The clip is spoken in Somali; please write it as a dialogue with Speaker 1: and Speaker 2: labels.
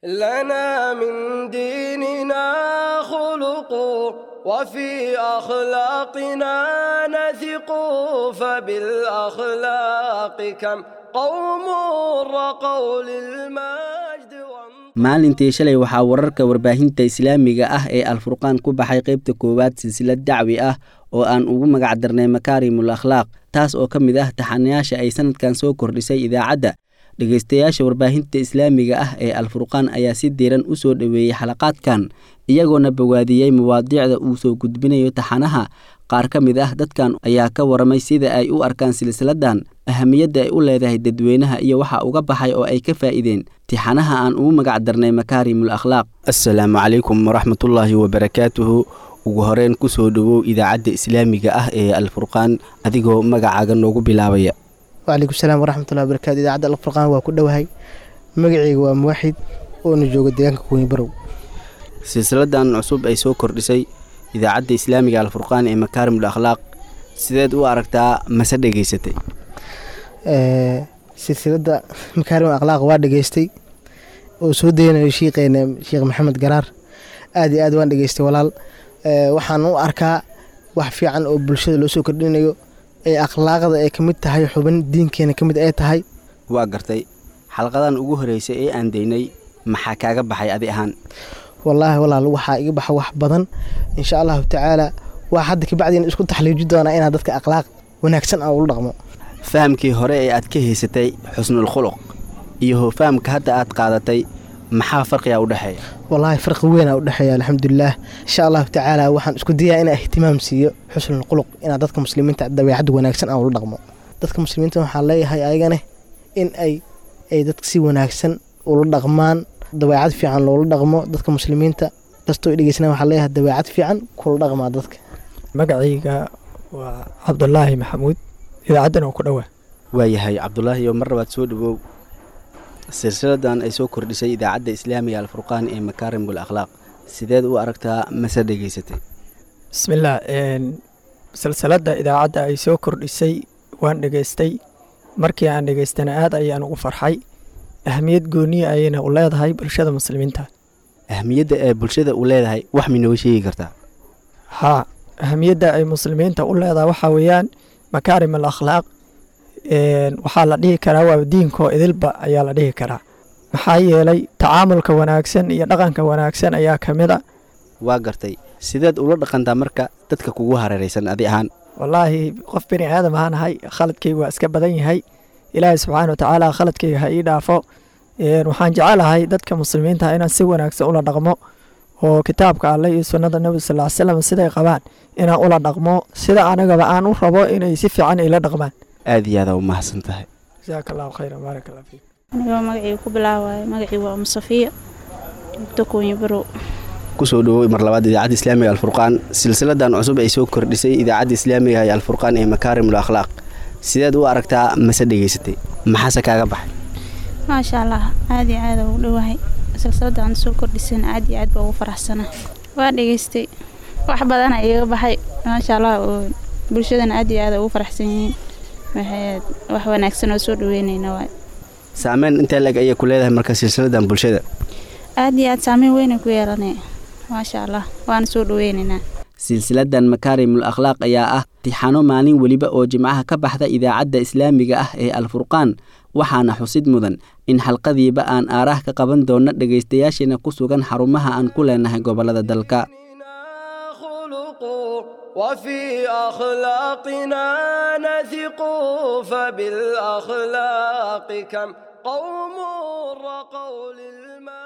Speaker 1: لنا من ديننا خلق وفي أخلاقنا نثق، فبالأخلاق كم قوم رقوا للمجد.
Speaker 2: Maalintii shalay waxaa wararka warbaahinta islaamiga ah ee Alfurqaan ku baxay qeybta koowaad silsilad dacwi ah oo aan ugu magac darnay Makaarimul Akhlaaq, taas oo ka mid ah taxanayaasha ay sanadkan soo kordhisay idaacadda. Dhegeystayaasha warbaahinta islaamiga ah ee Alfurqaan ayaa si diiran u soo dhoweeyey xalaqaadkan, iyagoona bogaadiyey mawaadiicda uu soo gudbinayo taxanaha. Qaar ka mid ah dadkan ayaa ka waramay sida ay u arkaan silsiladan, ahamiyadda ay u leedahay dadweynaha iyo waxa uga baxay oo ay ka faa'iideen tixanaha aan ugu magac darnay Makaarimul Akhlaaq. Assalaamu calaykum waraxmatullaahi wabarakaatuhu. Ugu horeyn kusoo dhowow idaacadda islaamiga ah ee Alfurqaan adigoo magacaaga noogu bilaabaya.
Speaker 3: Wacalaykum salaam waraxmatullahi wabarakatu. Idaacadda Alfurqaan waa ku dhowahay. Magacayga waa Muwaxid oona jooga deegaanka Kuweyne Barow.
Speaker 2: Silsiladan cusub ay soo kordhisay idaacadda islaamiga Alfurqaan ee Makaarimul Akhlaaq sideed u aragtaa, mase dhegeysatay?
Speaker 3: Silsiladda Makaarimul Akhlaaq waa dhegeystay oo soo daynayo shiiqeena Sheekh Maxamed Garaar. Aad iyo aad waan dhegeystay walaal. Waxaan u arkaa wax fiican oo bulshada loo soo kordhinayo ee akhlaaqda ay ka mid tahay xubin diinkeena ka mid ay tahay.
Speaker 2: Waa gartay. Xalqadan ugu horeysay ee aan daynay maxaa kaaga baxay adi ahaan?
Speaker 3: Wallaahi walaal, waxaa iga baxa wax badan insha Allahu tacaala. Waa hadda kabacdiina isku taxliiji doonaa inaan dadka akhlaaq wanaagsan aan ula dhaqmo.
Speaker 2: Fahamkii hore ee aad ka haysatay xusnul khuluq iyo fahamka hadda aad qaadatay maxaa farqiga u dhexeeya?
Speaker 3: Wallaahi farqi weyn aa u dhexeeya, alxamdulilah. Insha Allahu tacaala waxaan isku dayaa inaan ihtimaam siiyo xusnul khuluq, inaan dadka muslimiinta dabeecad wanaagsan aan ula dhaqmo. Dadka muslimiinta waxaan leeyahay ayagane in ay dadka si wanaagsan ula dhaqmaan, dabeecad fiican loola dhaqmo. Dadka muslimiinta kastoo i dhegeysana waxaan leeyahay dabeecad fiican kula dhaqmaa dadka.
Speaker 4: Magacayga waa Cabdulaahi Maxamuud, idaacaddan oo ku dhowaa.
Speaker 2: Waayahay Cabdulaahi, oo mar labaad soo dhowow. Silsiladan ay soo kordhisay idaacadda islaamiga Alfurqaan ee Makaarimul Akhlaaq sideed u aragtaa, mase dhegeysatay?
Speaker 4: Bismillaah. Silsiladda idaacadda ay soo kordhisay waan dhegeystay. Markii aan dhegeystana aad ayaan ugu farxay. Ahmiyad gooniya ayayna u leedahay bulshada muslimiinta.
Speaker 2: Ahmiyadda ee bulshada u leedahay wax minooga sheegi kartaa?
Speaker 4: Haa, ahamiyadda ay muslimiinta u leedahay waxaa weeyaan makaarim al akhlaaq waxaa la dhihi karaa waa diinkoo idilba ayaa la dhihi karaa, maxaa yeelay tacaamulka wanaagsan iyo dhaqanka wanaagsan ayaa ka mid a.
Speaker 2: Waa gartay. Sideed ula dhaqantaa marka dadka kugu hareeraysan adi ahaan?
Speaker 4: Wallaahi qof bini aadam ahaan ahay, khaladkaygu waa iska badan yahay. Ilaahay subxaana wa tacaala khaladkayga ha ii dhaafo. Waxaan jecelahay dadka muslimiinta inaan si wanaagsan ula dhaqmo oo kitaabka Alleh iyo sunnada Nebi sal ly slam siday qabaan inaan ula dhaqmo, sida anagaba aan u rabo inay si fiican ila dhaqmaan.
Speaker 2: Aad iyo aada u mahadsan tahay.
Speaker 4: Jazaaka Allahu khayran, baarak Allah fiik.
Speaker 5: Anigoo magacii ku bilaawaayo, magacii waa Umusafiya, joogto Kuunyi Barow.
Speaker 2: Kusoo dhowoway mar labaad idaacadda islaamiga Alfurqaan. Silsiladan cusub ay soo kordhisay idaacadda islaamiga ee Alfurqaan ee Makaarimul Akhlaaq sideed u aragtaa, mase dhegeysatay, maxaase kaaga baxay?
Speaker 5: Maasha Allah, aad iyo aad ugu dhowahay silsilada aan soo kordhisan, aad iyo aad baa ugu faraxsana. Waa dhegeystay, wax badana iiga baxay maasha Allah, oo bulshadana aad iyo aad ugu faraxsan yihiin. Waxay wax wanaagsan oo soo dhaweynayna waay.
Speaker 2: Saameyn intee leg ayay ku leedahay marka silsiladan bulshada?
Speaker 5: Aad iyo aad saameyn weyn ay ku yeelanay, maasha Allah, waana soo dhaweynaynaa.
Speaker 2: Silsiladan Makaarimul Akhlaaq ayaa ah tixano maalin weliba oo jimcaha ka baxda idaacadda islaamiga ah ee Alfurqaan, waxaana xusid mudan in xalqadiiba aan aaraah ka qaban doonno dhegaystayaasheena ku sugan xarumaha aan ku leenahay gobollada dalka.
Speaker 1: خلق وفي أخلاقنا نثق، فبالأخلاق كم قوم رقوا للمجد.